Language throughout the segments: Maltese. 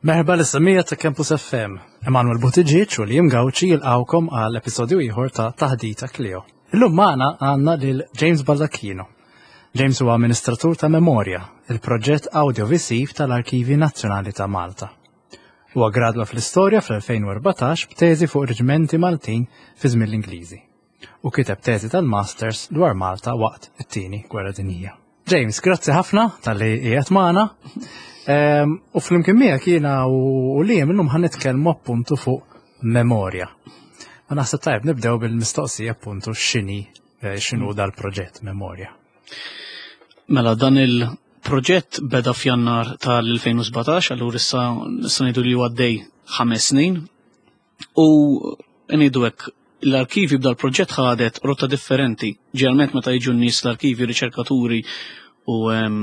Merħba lis-semmiegħa ta' Campus FM. Emanuel Buttigieg u Liam Gauci jilqgħukom għal episodju ieħor ta' Taħdita Clio. Illum magħna għandna lil James Baldacchino. James huwa amministratur ta' Memorja, il-proġett audiovisiv tal-Arkivi Nazzjonali ta' Malta. Huwa gradwa fl-istorja fl-2014 b'teżi fuq reġimenti Maltin fi żmien l-Ingliżi u kiteb teżi tal-Masters dwar Malta waqt it-Tieni Gwerra Dinjija. James, grazzi ħafna tal-li qiegħed magħna. Ehm, u flimkien miegħek jiena u li illum ħan nitkellmu appuntu fuq memorja. Ma naħseb tajb nibdew bil-mistoqsija appuntu x'inhi eh, x'inhu dal-proġett memorja. Mela dan il-proġett beda f'Jannar tal-2017, allura issa nista' ngħidu li għaddej ħames snin U ngħidu hekk, l-arkivi b'dal proġett ħadet rotta differenti. Ġeneralment meta jiġu n-nies l-arkivi, riċerkaturi u ehm,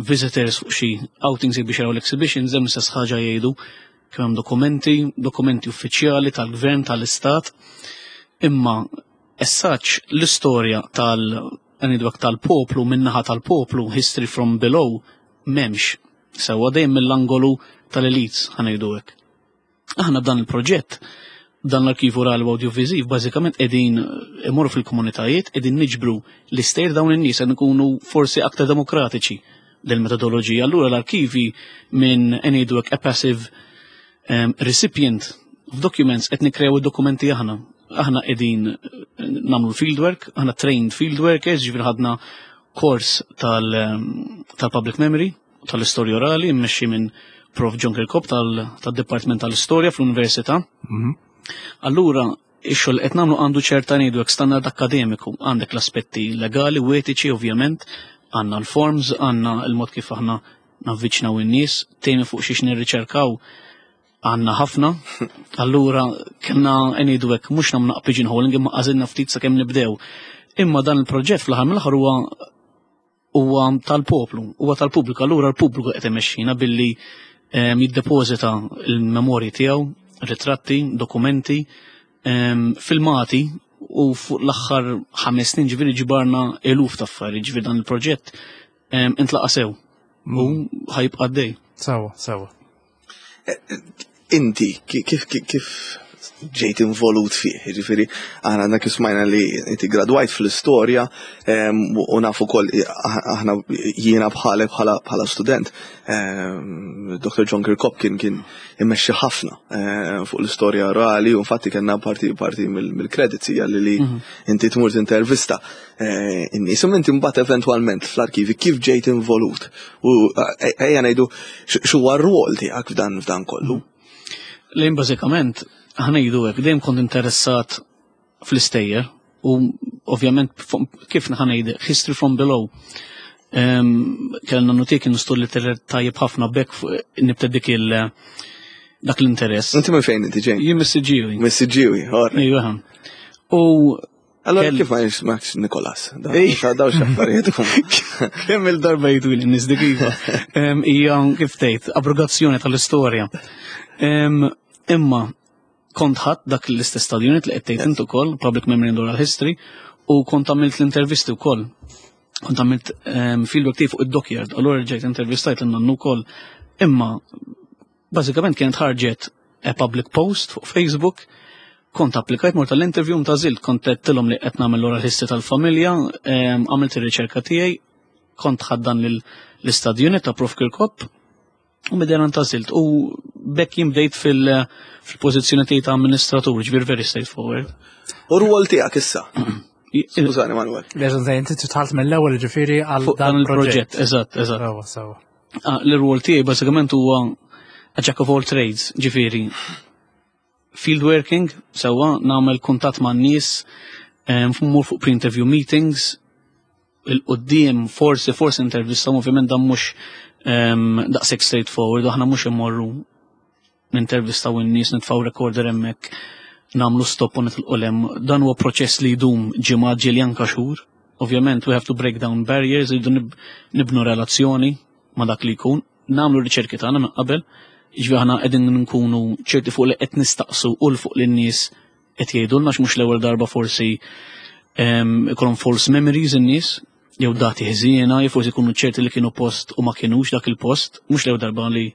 visitors fuq xi outings biex jaraw l-exhibitions, hemm istess ħaġa jgħidu kemm hemm dokumenti, dokumenti uffiċjali tal-gvern, tal-istat. Imma as such l-istorja tal ngħidu tal-poplu min-naħa tal-poplu, history from below, m'hemmx. Sewwa dejjem mill-angolu tal-elites ħanejdu hekk. Aħna b'dan il-proġett, dan l-arkivu orali u audiovisiv, bażikament qegħdin imorru fil-komunitajiet, qegħdin niġbru l-istejjer dawn in-nies qed nkunu forsi aktar demokratiċi del-metodoloġija. Allura l-arkivi minn ngħidu hekk a passive um, recipient of documents qed nikkrew id-dokumenti aħna. Aħna qegħdin nagħmlu fieldwork, aħna trained field workers, ġifieri ħadna kors tal-public memory, tal-istorja orali mmexxi minn Prof. John Kirkop tal-Dipartiment tal-Istorja fl-Università. Mhm. Allura, ix-xogħol qed nagħmlu għandu ċerta ngħidu hekk standard akkademiku, għandek l-aspetti legali u etiċi ovvjament, għandna l-forms, għandna l-mod kif aħna navviċnaw in-nies, temi fuq xiex nirriċerkaw għandna ħafna, allura kellna ngħidu hekk mhux nagħmlu pigeonholing imma għażilna ftit sakemm nibdew. Imma dan il-proġett fl-aħħar mill-aħħar huwa huwa tal-poplu, huwa tal-pubbliku, allura l-pubbliku qed imexxina billi ehm, jiddepożita l-memorji tiegħu, ritratti, dokumenti, ehm, filmati u fuq l-aħħar ħames snin ġifieri ġbarna eluf ta' affarijiet, ġifieri dan il-proġett ehm, intlaqa' sew u mm. ħajbqa' għaddej. Sewa, sewa. Inti, kif kif ġejt involut fih, ġifiri, aħna għandna kif smajna li inti gradwajt fl-istorja u nafu kol aħna jiena bħalek bħala student. Dr. John Kirkop kien kien immexxi ħafna fuq l-istorja orali u infatti kellna parti parti mill-credits hija li mhm. inti tmur tintervista Eh, in-nies. U inti mbagħad eventwalment fl-arkivi kif ġejt involut u eh, ejja ngħidu x'huwa r-rwol tiegħek f'dan f'dan kollu. Lejn bażikament ħanejdu hekk dejjem kont interessat fl-istejjer u ovvjament kif ħanejd history from below. Kellna notik kienu li tajjeb ħafna bekk nibta dik il dak l-interess. Inti minn fejn inti ġej? Jien mis-Siġġiewi. Mis-Siġġiewi, Iva. U Allora kif ma jismax Nikolas? Daw xaffarijiet. Kemm il-darba jgħidu li nies dik iva. Hija kif tgħid abrogazzjoni tal-istorja. Imma kont ħadd dak l-istess study unit li qed tgħid int ukoll, Public Memory and Oral History, u kont għamilt l-intervisti wkoll. Kont għamilt fieldwork tiegħi fuq id-dockyard, allura ġejt intervistajt lil nannu wkoll. Imma Bażikament kienet ħarġet a public post fuq Facebook, kont applikajt mort tal-interview mtażilt, kont għedtilhom li qed nagħmel l-oral history tal-familja, għamilt ir-riċerka tiegħi, kont ħaddan l-istadju unit ta' Prof Kirkop, u bidejna ntażilt. U bekk jien bdejt fil-pożizzjoni tiegħi ta' amministratur, ġifier very straightforward. U rwol tiegħek issa? Skużani, Manuel. Leġan, inti titħalt mill-ewwel ġifieri għal dan il-proġett. Eżatt, eżatt. Sewa, sewa. Ah, l-rwol tiegħi bażikament huwa a jack of all trades, ġifieri field working, sewwa nagħmel kuntatt man nies, mmur fuq pre-interview meetings, il-qoddim forsi forsi intervista, ovvjament dan mhux daqshekk straightforward, aħna mhux immorru nintervistaw in-nies, nitfgħu recorder hemmhekk, nagħmlu stop u nitilqu lem. Dan huwa proċess li jdum ġimgħat ġieli anka xhur. Ovvjament we have to break down barriers, rridu nibnu relazzjoni ma' dak li jkun, nagħmlu riċerki tagħna minn qabel, jiġifieri aħna qegħdin nkunu ċerti fuq li qed nistaqsu u l fuq lin-nies qed jgħidulna mhux l-ewwel darba forsi ehm, ikollhom false memories in-nies jew dati ħżiena, jew forsi jkunu ċerti li kienu post u ma kienux dak il-post, mhux l-ewwel darba li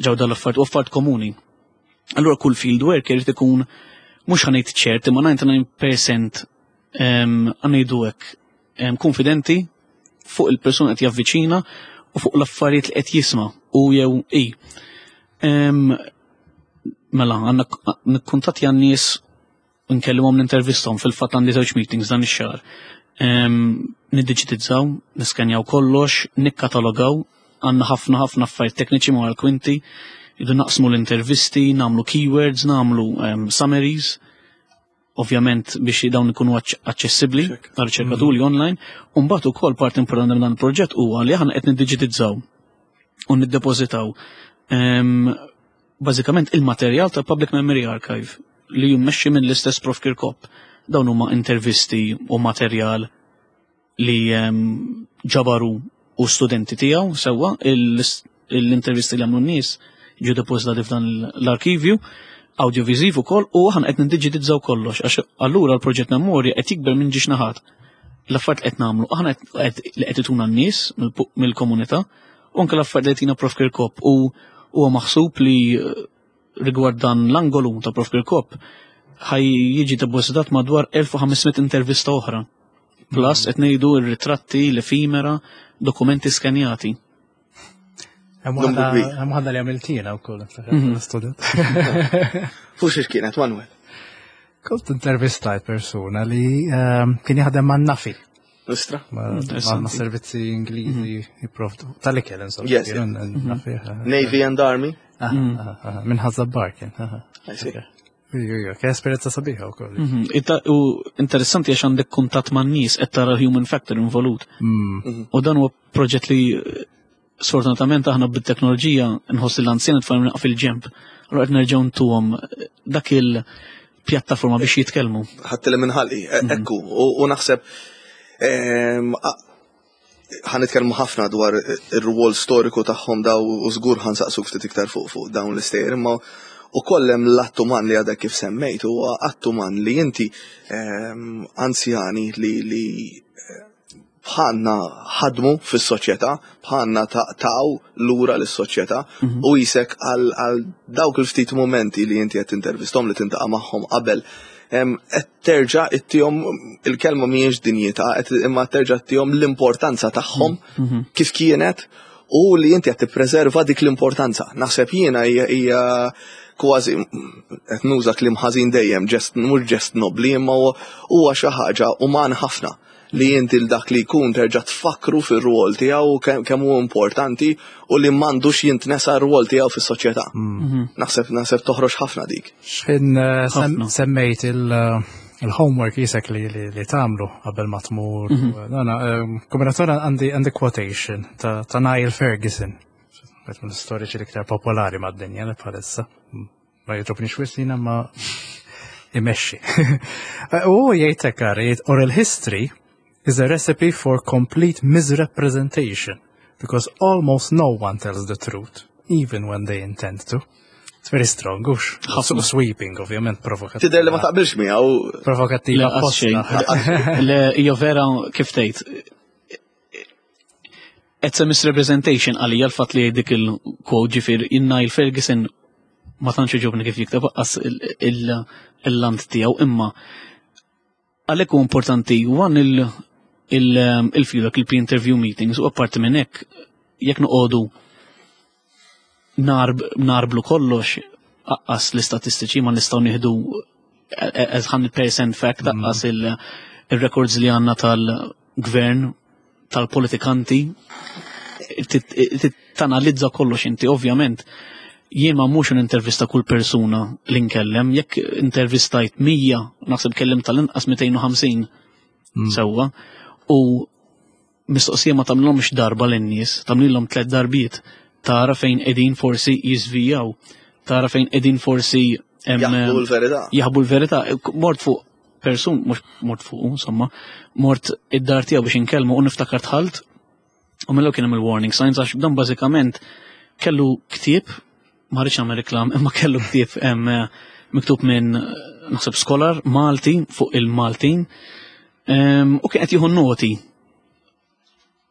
ġew dal-affarijiet u affarijiet komuni. Allura kull field worker irid ikun mhux ħa ngħid ċert imma 99% ħa ngħidu hekk konfidenti fuq il-persuna qed javviċina u fuq l-affarijiet li qed jisma' u jew i. Mela, għandna nikkuntattja n-nies nkellimhom nintervisthom fil-fatt għandi żewġ meetings dan ix-xahar. Niddiġitizzaw, niskenjaw kollox, nikkatalogaw, għandna ħafna ħafna affarijiet tekniċi ma' l-kwinti, idu naqsmu l-intervisti, nagħmlu keywords, nagħmlu summaries, ovvjament biex dawn ikunu aċċessibbli għal riċerkaturi online, u mbagħad ukoll parti importanti minn dan il-proġett huwa li aħna qed niddiġitizzaw u niddepożitaw bażikament il-materjal tal-Public Memory Archive li jimmexxi minn l-istess Prof Kirkop. Dawn huma intervisti u materjal li ġabaru u studenti tiegħu sewwa l-intervisti li għamlu n-nies ġew depożitati f'dan l-arkivju audiovisiv ukoll u aħna qed niddiġitizzaw kollox għax allura l-proġett Memorja qed jikber minn ġiex naħat. L-affarijiet qed nagħmlu aħna li qed ituna n-nies mill-komunità u anke l-affarijiet li qed Prof Kirkop u huwa maħsub li rigward dan l-angolu ta' Prof Kirkop ħaj jiġi depożitat madwar 1500 intervista oħra. Plus qed ngħidu r-ritratti, l-efimera, dokumenti skenjati. Hemm waħda li għamiltina wkoll student. Fuq xiex kienet, Manuel? Kont intervistajt persuna li kien jaħdem man NAAFI. Istra? Ma' servizzi Ingliżi jipprovdu. Tal-ikel, insomma. Yes. Navy and Army? Minn Ħaż-Żabbar kien. I see. Kien esperjenza sabiħa wkoll. U interessanti għax għandek kuntatt man nies qed tara human factor involut. U dan huwa proġett li sfortunatament aħna bit-teknoloġija nħoss l-anzjan tfal naqaf fil-ġemp. Allura qed nerġgħu ntuhom dak il-pjattaforma biex jitkellmu. Ħadd li minn ħalqi, ekku, u naħseb ħa nitkellmu ħafna dwar ir-rwol storiku tagħhom daw u żgur ħa nsaqsuk ftit iktar fuq dawn l-istejjer, imma u kollem l-att uman li għadek kif semmejt huwa att uman li inti anzjani li bħalna ħadmu fis-soċjetà, bħalna taw lura lis-soċjetà u jisek għal dawk il-ftit momenti li inti qed intervistom li tintaqa' magħhom qabel qed terġa' ittihom il-kelma mhijiex dinjità, imma terġa' ittihom l-importanza tagħhom kif kienet u li inti qed tippreserva dik l-importanza. Naħseb jiena hija kważi qed nuża kliem ħażin dejjem, ġest mhux ġest nobli, imma huwa xi ħaġa uman ħafna li inti l dak li jkun terġa' tfakru fir-rwol tiegħu kemm hu importanti u li m'għandux jintnesa r-rwol tiegħu fis-soċjetà. Naħseb toħroġ ħafna dik. X'ħin semmejt il-homework jisek li tagħmlu qabel ma tmur. Nana, kombinazzjoni għandi quotation ta' Niall Ferguson. Wieħed mill-istoriċi l-iktar popolari mad-dinja li bħalissa. Ma jogħġobnix wisq jiena ma imexxi. U jgħid hekk jgħid oral history is a recipe for complete misrepresentation because almost no one tells the truth, even when they intend to. It's very strong, ux. Ħafna sweeping, ovvjament, provokativ. Tidher li ma taqbilx miegħu. Provokattiva apposta. Le, hija vera kif tgħid. It's a misrepresentation għalija l-fatt li dik il-quote ġifier Niall Ferguson ma tantx jogħġobni kif jikteb aqqas il-lant tiegħu imma għalhekk hu importanti one il-feedback, il-pre-interview meetings u apparti minn hekk jekk noqogħdu narblu kollox aqqas l-istatistiċi ma nistgħu nieħdu as 100% fact aqqas il-records li għandna tal-gvern tal-politikanti tanalizza kollox inti ovvjament jien ma mhux intervista kull persuna li nkellem, jekk intervistajt 100, naħseb kellim tal-inqas 250 sewwa, u mistoqsija ma tagħmlhomx darba lin-nies, tagħmlilhom tliet darbiet, tara fejn qegħdin forsi jiżvijaw, tara fejn qegħdin forsi Jaħbu l-verità. Jaħbu l-verità. Mort fuq persun, mhux mort fuq, insomma, mort id-dar tiegħu biex inkellmu u niftakar dħalt u mill kien hemm il-warning signs għax dan bażikament kellu ktieb, ma rridx nagħmel reklam, imma kellu ktieb miktub minn naħseb scholar Malti fuq il-Maltin u kien qed jieħu noti.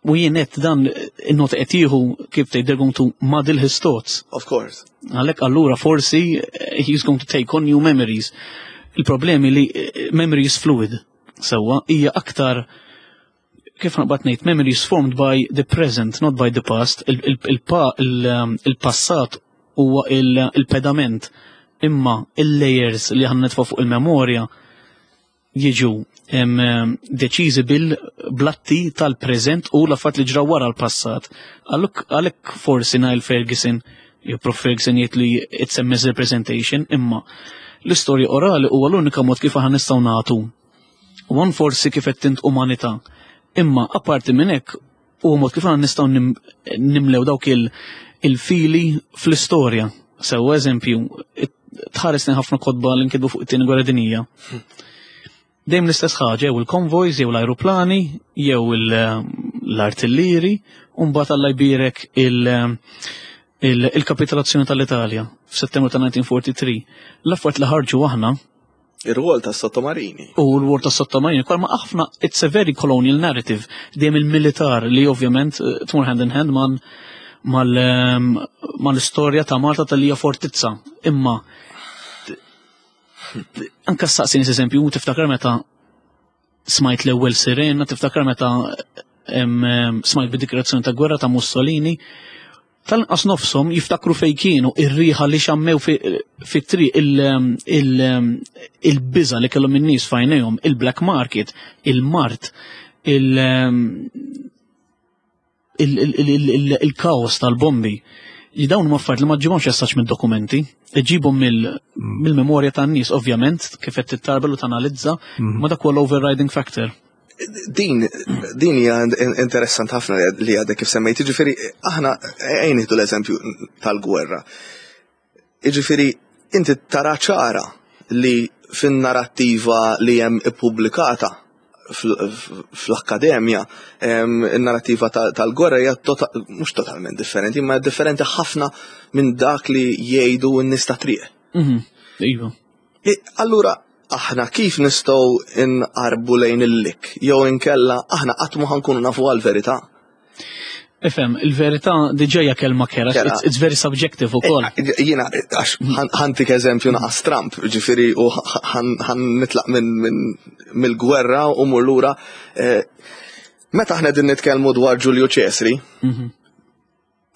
U jien qed dan in-nota qed jieħu kif tgħid they're going to muddle his thoughts. Of course. Għalhekk allura forsi eh, he's going to take on new memories. Il-problemi li eh, memory is fluid sewwa hija aktar kif naqbad ngħid memory is formed by the present, not by the past. Um, il-passat huwa il-pedament imma il-layers li ħan nitfa' fuq il-memorja jiġu deċiżi bil-blatti tal-preżent u l-affarijiet li ġraw wara l-passat. Għalhekk forsi Niall Ferguson, jew Prof Ferguson jgħid li it's a misrepresentation, imma l-istorja orali huwa l-unika mod kif aħna nistgħu nagħtu. One forsi kif qed tint umanità. Imma apparti minn hekk huwa mod kif aħna nistgħu nimlew dawk il-fili fl-istorja. Sew eżempju, tħares ħafna kotba li nkitbu fuq it-tieni gwerra dinjija. Dejjem l-istess ħaġa, jew il-konvojs, jew l-ajruplani, jew l-artillieri, u mbagħad Alla jbierek il-kapitolazzjoni tal-Italja f'Settembru ta' 1943. L-affarijiet li ħarġu aħna Ir-rwol tas sottomarini. U l-rwol tas sottomarini, kol ma ħafna, it's a very colonial narrative, dejjem il-militar li ovvjament eh, tmur hand in hand man ehm, mal-istorja ta' Malta tal-hija fortizza. Imma anka saqsini eżempju, tiftakar meta smajt l-ewwel sirena, tiftakar meta smajt bid-dikrazzjoni ta' gwerra ta' Mussolini, tal-inqas nofshom jiftakru fejn kienu ir-riħa li xammew fit-triq il-biża li kellhom in-nies f'għajnejhom, il-black market, il-mart, il-kaos tal-bombi. Li dawn huma affarijiet li ma ġibhomx essaċ mid-dokumenti, ġibhom mill-memorja tan-nies ovvjament kif qed tittarbel u tanalizza, mhm. ma dak huwa l-overriding factor. Din din hija interessant ħafna li għadek kif semmejt, jiġifieri aħna ejn nieħdu l-eżempju tal-gwerra. Jiġifieri inti tara ċara li fin-narrattiva li hemm ippubblikata fl-akkademja in-narrattiva tal-gwerra hija mhux totalment differenti, imma differenti ħafna minn dak li jgħidu n-nies ta' triq. Mhm, iva. Allura aħna kif nistgħu nqarbu lejn il-lik jew inkella aħna qatt ma ħankunu nafu għall-verità. Ifhem, il-verità diġà hija kelma kera, it's, it's very subjective ukoll. Eh, jiena għax ħantik eżempju naqas Trump, ġifieri u ħan nitlaq minn mill-gwerra u mur lura. Eh, meta aħna din nitkellmu dwar Ġulju Ċesri, mhm.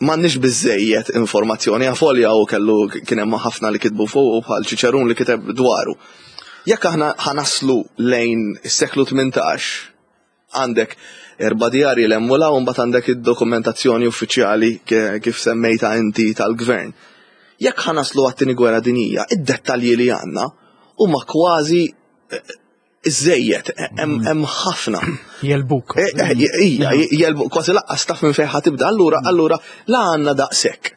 M'għandniex biżżejjed informazzjoni, avolja hu kellu kien hemm ħafna li kitbu fuqu bħal Ċiċerun li kiteb dwaru. Jekk aħna ħanaslu lejn is-seklu 18, għandek erba' djarji l hemm u l hawn mbagħad għandek id-dokumentazzjoni uffiċjali kif semmejta inti tal-gvern. Jekk ħanaslu għat-tieni gwerra dinjija, id-dettalji li għandna huma kważi Iżżejjed, hemm ħafna. Jelbuk. Eh, eh, ija, jelbuk, kważi laqqas taf minn fejn ħatibda, allura, mm. allura, la għandna daqshekk.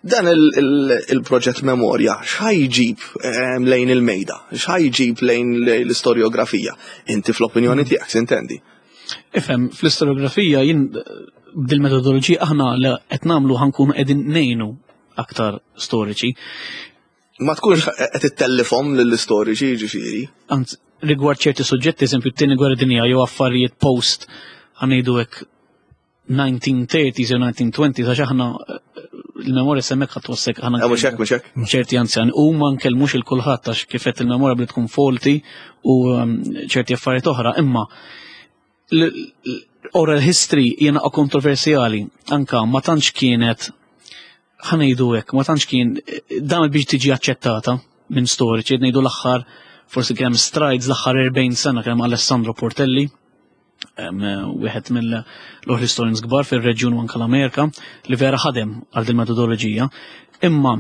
Dan il-proġett memorja, x'ħajġib ehm, lejn il-mejda, x'ħajġib lejn l-istoriografija? Inti fl-opinjoni mm. tiegħek, sintendi. Ifhem, fl-istoriografija jien bil-metodoloġija aħna li qed nagħmlu ħankunu qegħdin ngħinu aktar storiċi. Ma tkunx qed ittellifhom lill-istoriċi jiġifieri. Anzi, rigward ċerti suġġetti, eżempju t-tieni gwerra dinja jew affarijiet post ħanejdu hekk 1930s jew 1920s għax aħna eh, il-memorja semmek ħadd wassek aħna. Eh, mhux hekk, mhux hekk. Ċerti anzjan u ma nkellmux il kulħadd għax kif qed il-memorja bli tkun faulty u ehm, ċerti affarijiet oħra, imma oral history jiena kontroversjali anka ma tantx kienet ħanejdu hekk, ma tantx kien dan biex tiġi aċċettata minn storiċi, ngħidu l-aħħar forsi kemm strides l-aħħar 40 sena kemm Alessandro Portelli, wieħed mill-oral historians kbar fir-reġjun u anke l-Amerika li vera ħadem għal din metodoloġija. Imma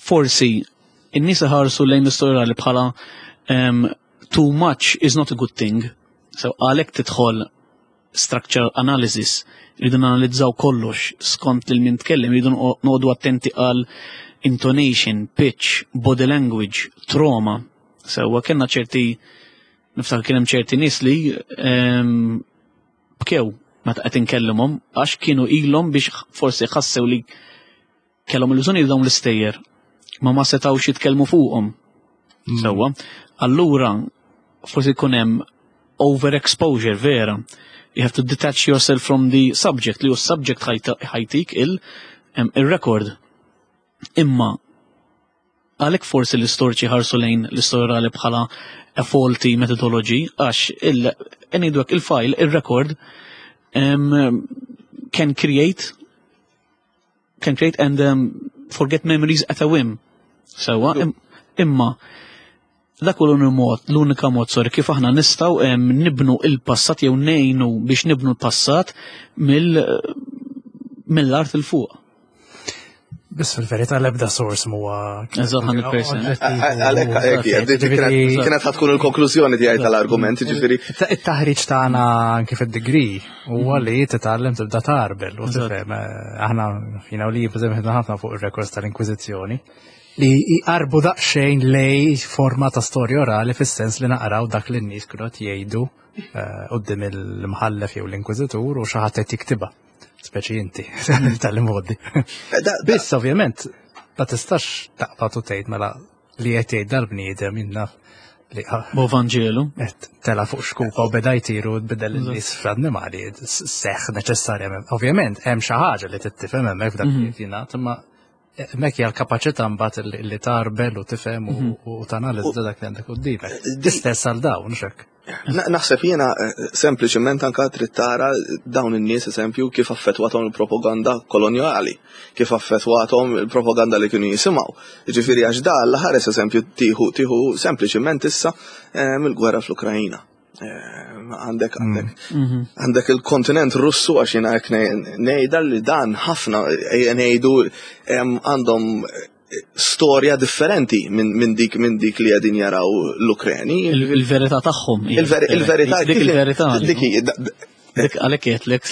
forsi in-nies iħarsu lejn l-istorja li bħala um, too much is not a good thing. So għalhekk tidħol structural analysis, rridu nanalizzaw kollox skont lil min tkellem, rridu noqogħdu attenti għal intonation, pitch, body language, trauma. Sewwa kellna ċerti niftakar kien hemm ċerti nies li um, bkew meta qed inkellimhom għax kienu ilhom biex forsi ħassew li kellhom il-bżonn dawn l-istejjer ma ma setgħux jitkellmu fuqhom. Mm. Sewwa. Allura forsi jkun hemm Overexposure, vera. You have to detach yourself from the subject, li hu subject ħajtik il-record. Imma għalhekk forsi l-istoriċi ħarsu lejn l-istorja orali bħala a faulty methodology, għax il-file, il-record, can create and forget memories at a whim. Sewa, imma dak hu mod, l-unika mod, sorry, kif aħna nistgħu nibnu il-passat jew ngħinu biex nibnu l-passat mill-art 'il fuq. Biss fil-verità l-ebda source huwa Eżatt, 100%. Għalhekk hekk, kienet ħa tkun il-konklużjoni tiegħi tal-argument, ġifieri. It-taħriġ tagħna anke fid-degree huwa li titgħallem tibda tarbel u tifhem. Aħna fina u li pereżempju ħafna fuq ir-records tal-Inkwiżizzjoni li jqarbu daqsxejn lej forma ta' storja orali fis-sens li naqraw dak li n-nies kienu qed jgħidu quddiem il-mħallef jew l-inkwiżitur u xi ħadd qed jiktibha. Speċi inti tal-modi. Biss ovvjament ma tistax taqbad u tgħid mela li qed jgħid dal-bniedem jinnna li Bo Vangelu. qed tela fuq xkupa u beda jtiru tbidel in-nies fl-annimali seħ neċessarjament. Ovvjament hemm xi ħaġa li tittifhem hemmhekk f'dak li jingħad, imma hemmhekk hija l-kapaċità mbagħad li tarbel u tifhem u tanalizza dak li għandek quddiemek. Istess għal dawn, mhux hekk. Naħseb jiena sempliċement anka trid tara dawn in-nies, eżempju, kif affettwathom il-propaganda kolonjali, kif affettwathom il-propaganda li kienu jisimgħu. Ġifieri għax da l-ħares, eżempju, tieħu sempliċement issa mill-gwerra fl-Ukrajina. Għandek il-kontinent Russu, għax jiena hekk ngħidha, li dan ħafna ngħidu għandhom storja differenti minn dik li qegħdin jaraw l-Ukreni. Il-verità tagħhom. Il-verità Dik il-verità. Dik Dik għalhekk jgħidlek.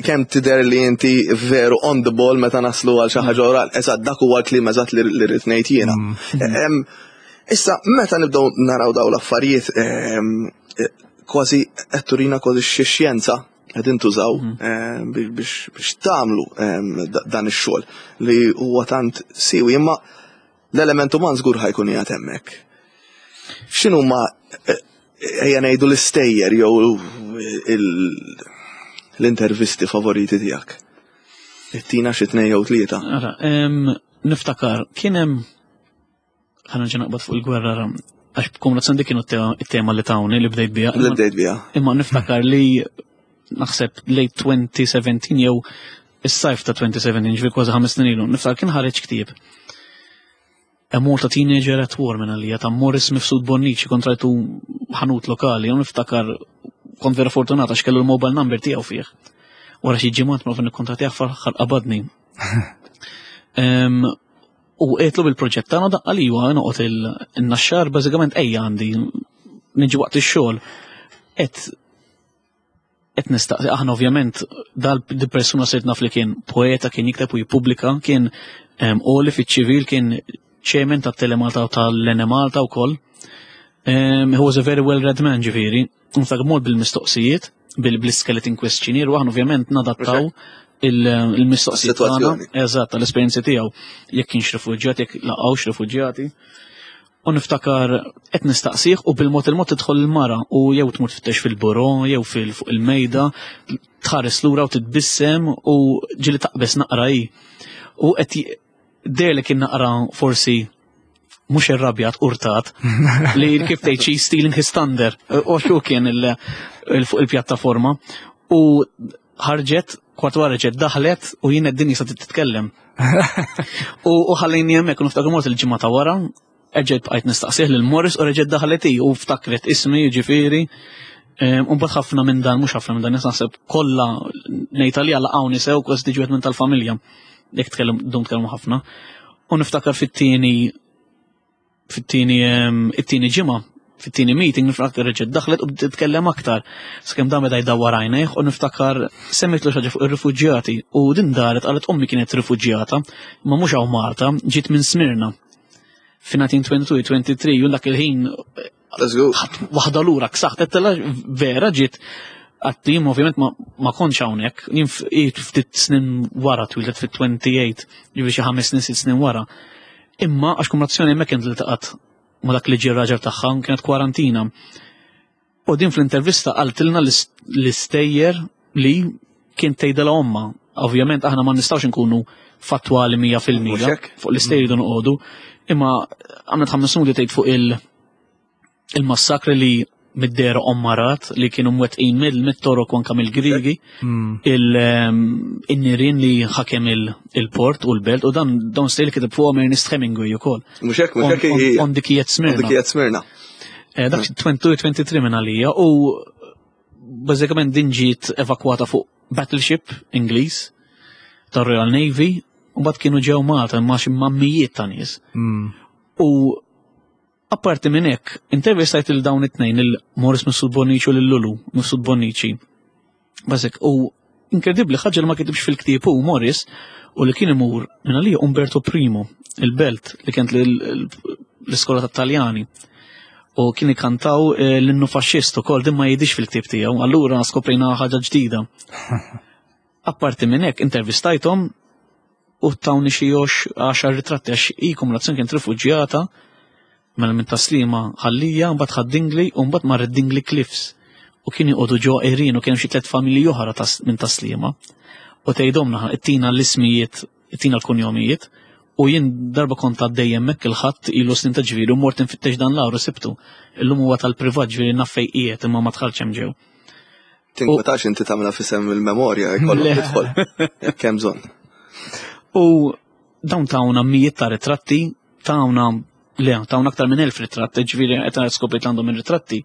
Kemm tidher li inti veru on the ball meta naslu għal xi ħaġa oral, eżatt dak huwa l-kliem eżatt li rrid ngħid jiena. Issa, meta nibdew naraw daw l-affarijiet, kważi qed turina kważi xi xjenza qed intużaw biex tagħmlu dan ix-xogħol li huwa tant siwi, imma l-element uman żgur ħa jkun qiegħed hemmhekk. X'inhuma ejja ngħidu l-istejjer jew l-intervisti favoriti tiegħek? Ittina xi tnejn jew tlieta. Ara, niftakar, kien hemm, ħa nerġa' naqbad fuq il-gwerra, ra, għax b'kombinazzjoni dik kienu it-tema li tawni li bdejt biha. Li bdejt biha. Imma niftakar li naħseb late 2017 jew is-sajf ta' 2017, ġifieri kważi 5 snin ilu, niftakar kien ħareġ ktieb. A Malta Teenager at War minn għalija ta' Morris Mifsud Bonnici, kontrajtu ħanut lokali, u niftakar kont vera fortunata għax kellu l-mobile number tiegħu fih. Wara xi ġimgħat ma nikkontattjah, fl-aħħar qabadni. U għedtlu bil-proġett tagħna, daqqa li huwa noqgħod il-Naxxar, bażikament ejja għandi niġi waqt ix-xogħol. Et nistaqsi, aħna ovvjament dal di persuna sirt naf li kien poeta, kien jikteb u jippubblika, kien għoli fiċ-ċivil, kien chairman ta' Telemalta u tal-Enemalta wkoll. He was a very well-read man, ġifieri. Nftak mod bil-mistoqsijiet, bil-skeleton questionnaire, u aħna ovvjament nadattaw il-mistoqsijiet tagħna. Is-sitwazzjoni. Eżatt, tal-esperjenzi tiegħu. Jekk kienx rifuġjat, jekk laqgħux rifuġjati. U niftakar qed nistaqsih u bil-mod il-mod tidħol il-mara u jew tmur tfittex fil-buro jew fuq il-mejda, tħares lura u titbissem u ġieli taqbes naqra hi. U qed deher li kien naqra forsi mhux irrabjat, urtat, li kif tgħid xi stealing his thunder, u xu kien fuq il-pjattaforma. U ħarġet, kwart wara ġet daħlet u jien qed sa titkellem. U ħallejni hemmhekk u niftakar mort il-ġimgħa ta' wara, erġajt bqajt nistaqsih lil Morris u reġgħet daħlet hi u ftakret ismi, jiġifieri. U mbagħad ħafna minn dan, mhux ħafna minn dan, naħseb kollha ngħid għalija laqgħuni sew, kważi tiġi wieħed minn tal-familja. Jekk tkellem dum tkellmu ħafna. U niftakar fit-tieni ġimgħa, fit-tieni meeting, niftakar reġgħet daħlet u bdiet titkellem aktar. Sakemm dan beda jdawwar għajnejh u niftakar semmitlu xi ħaġa fuq ir-rifuġjati u din daret qalet ommi kienet rifuġjata, ma mhux hawn Malta, ġiet minn Smirna. Fi 1922-23, u dak il-ħin Let's go. ħadd waħda lura ksaħt, għedtilha vera ġiet għattim, ovvjament ma kontx hawnhekk, jien ftit snin wara, twieldet fit-28, ġifieri xi 5 snin, 6 snin wara. Imma għax kumulazzjoni hemmhekk kienet iltaqgħet ma dak li ġie raġel tagħha, kienet kwarantina. U din fl-intervista qaltilna l-istejjer li kien tgħidilha omma. Ovvjament aħna ma nistgħux inkunu fattwali 100% fuq l-istejjer jridu noqogħdu, imma għamlet ħames minuti tgħid fuq il- il-massakri li mid-dera ommarat li kienu mwettqin mill-Torok u anka mill-Griegi, il-nirien li ħakem il-port u l-belt u dan dawn stejl kiteb fuqhom Ernest Hemingway ukoll. Mhux hekk, mhux hekk. On dikijiet Smirna. Dikijiet Smirna. Eh, dak 22-23 minn għalija u bażikament din ġiet evakwata fuq battleship Ingliż tar-Royal Navy u mbagħad kienu ġew Malta imma xi mammijiet ta' nies. U apparti minn hekk, intervistajt il dawn it-tnejn il-Morris Mifsud Bonnici u lil Lulu Mifsud Bonnici. Bażik, u inkredibbli ħaġa li ma kitibx fil-ktieb hu Morris u li kien imur minn għalija Umberto Primo, il-belt li kienet l-iskola tat-Taljani. U kien ikantaw eh, l-innu faxxist ukoll din ma jidhix fil-ktieb tiegħu, allura skoprejna ħaġa ġdida. Apparti minn hekk intervistajthom u tawni xi għaxar ritratti għax hi kumulazzjoni kienet rifuġjata mela minn taslima ħallija, mbagħad ħad-Dingli u mbagħad marret Dingli Cliffs u kien joqogħdu ġo Irin u kien xi tliet familji oħra minn taslima. U tgħidhom ittina l-ismijiet, ittina l-kunjomijiet u jien darba kont għaddej hemmhekk il-ħadd ilu snin ta' ġifieri u mort infittex dan l-għar u sibtu. Illum huwa tal-privat ġifieri naf fejn qiegħed imma ma dħalx hemm ġew. Tinkwetax inti tagħmilha fisem il-memorja jkollok tidħol jekk hemm bżonn. U dawn tawna mijiet ta' ritratti, tawna le, tawna aktar minn elf ritratt, ġifieri qed nara skopiet għandhom ir-ritratti.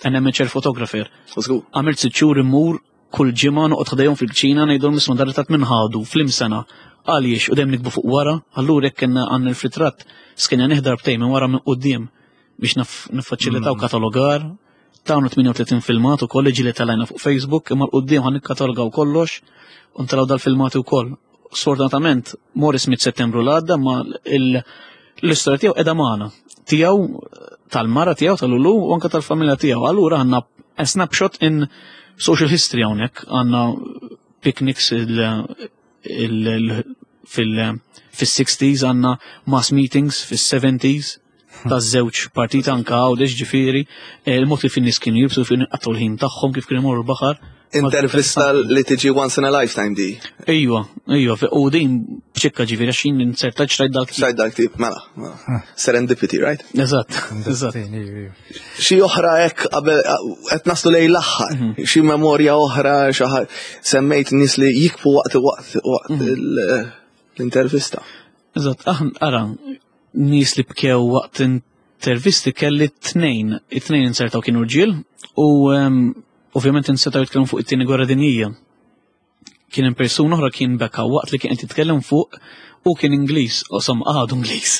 An amateur photographer. Għamilt sitt xhur immur kull ġimgħa noqgħod ħdejhom fil-kċina ngħidulhom isma' dar ritratt minn ħadu flim sena. Għaliex u dejjem nikbu fuq wara, allura jekk kellna għandna l-ritratt skenja nieħdar btej minn wara minn quddiem biex niffaċilitaw mm. katalogar. Tawna 38 filmat ukoll li ġieli telajna fuq Facebook imma l-qudiem ħan nikkatalogaw kollox u ntelgħu dal-filmati wkoll. Sfortunatament Morris mit Settembru l-għadda ma l-istorja tiegħu qiegħda magħna. Tiegħu tal-mara tiegħu tal-ulu u anke tal-familja tiegħu. Allura għandna a snapshot in social history hawnhekk għandna picnics fil-60s għandna mass meetings fis-70s taż-żewġ partit anka għawdex ġifieri, eh, il-mod kif in-nies kienu jibsu kif għattu l-ħin tagħhom kif kienu jmorru l-baħar. Intervista li tiġi once in a lifetime di. Ejwa, ejwa, u din bċikka ġifieri għax jien inserta xrajt dal-ktib. Xrajt dal-ktib, mela, mela. Serendipity, right? Eżatt, eżatt. Xi oħra hekk qabel qed naslu lejn l-aħħar, mhm. xi memorja oħra xi semmejt nies li jikbu waqt waqt waqt mhm. l-intervista. Eżatt, aħna ara nies li bkew waqt intervisti kelli tnejn, it-tnejn insertaw kienu rġiel u ehm, ovvjament insetaw jitkellmu fuq it-tieni gwerra dinjija. Kien hemm persuna oħra kien beka waqt li kien qed jitkellem fuq u kien Ingliż, u som għadu Ingliż.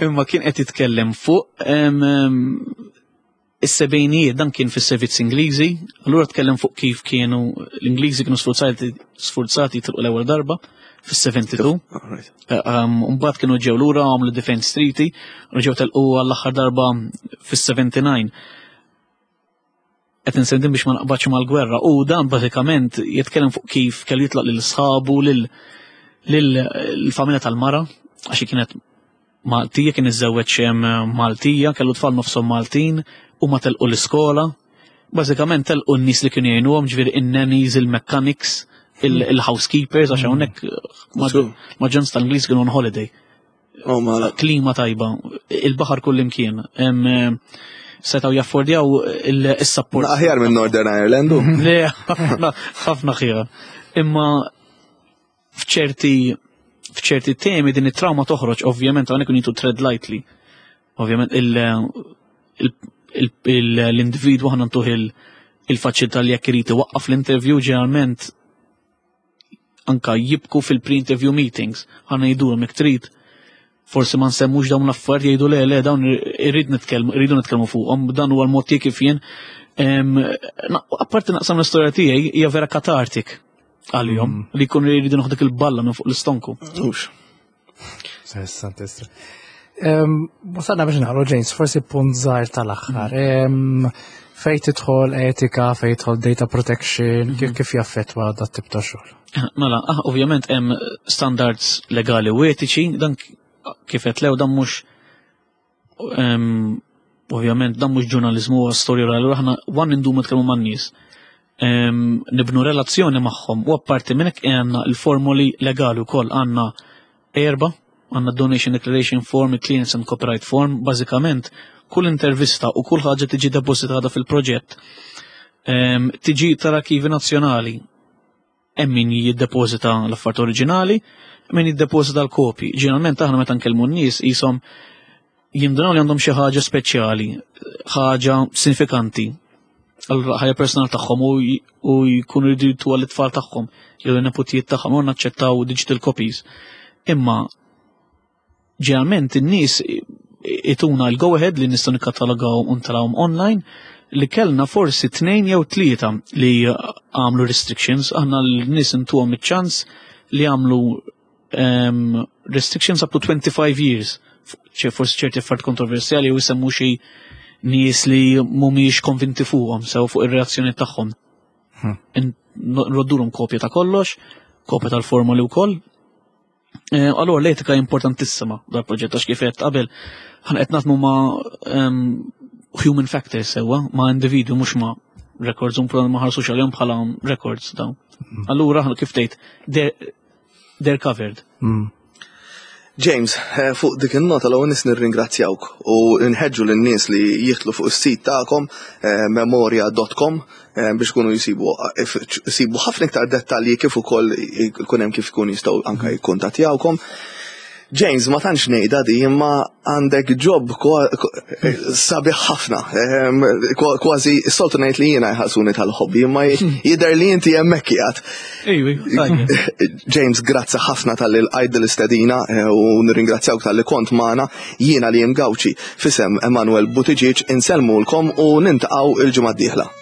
Imma kien qed jitkellem fuq ehm, ehm, is-sebgħinijiet dan kien fis-servizz Ingliżi, allura tkellem fuq kif kienu l-Ingliżi kienu sfurzati sfurzati jitilqu l-ewwel darba fis-72. Eh, um, mbagħad kienu ġew lura għamlu Defense Treaty, u ġew telqu għall-aħħar darba fis-79. Qed insendim biex ma naqbadx mal-gwerra u dan bażikament jitkellem fuq kif kellu jitlaq lil sħabu lil l-familja tal-mara għax kienet Maltija kien iżżewweġ Maltija, kellu tfal nofshom Maltin, u ma telqu l-iskola. Bażikament telqu n-nies li kienu jgħinuhom, ġifieri in-nannies, il-mechanics, il-housekeepers, għax hawnhekk maġġoranza tal-Ingliż kienu on holiday. Oh, Klima tajba, il-baħar kull imkien. Setaw jaffordjaw il-support. Aħjar minn Northern Ireland. Le, ħafna ħjar. Imma f'ċerti f'ċerti temi din it-trauma toħroġ ovvjament hawnhekk need to tread lightly. Ovvjament l-individwu ħana ntuh il-faċilità li jekk irid iwaqqaf l-interview ġeneralment anka jibku fil-pre-interview meetings, ħana jgħidulhom jekk trid forsi ma nsemmux dawn l-affarijiet jgħidu le le dawn irrid nitkellmu irridu nitkellmu fuqhom dan huwa l-mod tiegħi kif jien apparti naqsam l-istorja tiegħi hija vera katartik għalihom mm. li jkunu jridu noħduk il-balla minn fuq l-istonku. Mhux. Interessanti. Wasalna biex nagħmlu James, forsi punt żgħir tal-aħħar. Mm. Fejn tidħol etika, fejn tidħol data protection, kif mm-hmm. kif jaffettwa dat tip ta' xogħol? Mela, ah, ovvjament hemm standards legali u etiċi, dan kif qed lew dan mhux Ovvjament dan mhux ġurnaliżmu huwa storja orali, allura aħna wan indumu nitkellmu man-nies. Nibnu relazzjoni magħhom u apparti minn hekk għandna l-formoli legali wkoll għandna erba' għandna donation declaration form, clearance and copyright form, bażikament kull intervista u kull ħaġa tiġi depositata fil-proġett tiġi tal-Arkivi Nazzjonali Hemm min jiddepożita l-affarijiet oriġinali, min jiddepożita l-kopji. Ġeneralment aħna meta nkellmu n-nies qishom jindunaw li għandhom xi ħaġa speċjali, ħaġa sinifikanti għal ħajja personali tagħhom u jkunu jridu jtuha l-itfal tagħhom jew l-neputijiet tagħhom u naċċettaw digital copies. Imma Ġeneralment in-nies ituna l-go ahead li nistgħu nikkatalagaw u ntalawhom online li kellna forsi tnejn jew tlieta li għamlu restrictions, aħna l-nies intuhom iċ-ċans li għamlu um, restrictions up to 25 years. ċe forsi ċerti affarijiet kontroversjali u jsemmu xi nies li mhumiex konvinti fuqhom sew fuq ir-reazzjoni tagħhom. Hmm. Nroddulhom kopja ta' kollox, kopja tal-formoli wkoll, Eh, allora l-etika importantissima dal-proġett għax kif qed qabel ħan qed naħdmu ma' ehm, human factors sewwa, ma' individwi mhux ma' records un ma ħarsux għalihom bħala records dawn. Mm. Allura kif tgħid they're covered. Mm. James, eh, fuq dik il-nota l nis nirringrazzjawk u nħeġġu lin-nies li jitlu fuq is-sit tagħkom eh, memoria.com Eh, biex kunu jisibu jisibu ħafna iktar dettalji kif ukoll ikun hemm kif ikun jistgħu anke jikkuntattjawkom. James, ma tantx ngħidha di, imma għandek job sabiħ ħafna. Ehm, kważi soltu ngħid li jiena jħallsuni tal-hobby, imma jidher li inti hemmhekk qiegħed. James, grazzi ħafna tal-li l-għajd l-istedina eh, u nirringrazzjawk tal-li kont magħna jiena li Gawċi fisem Emanuel Buttigieg insellmulkom u nintaqgħu il-ġimgħa d-dieħla.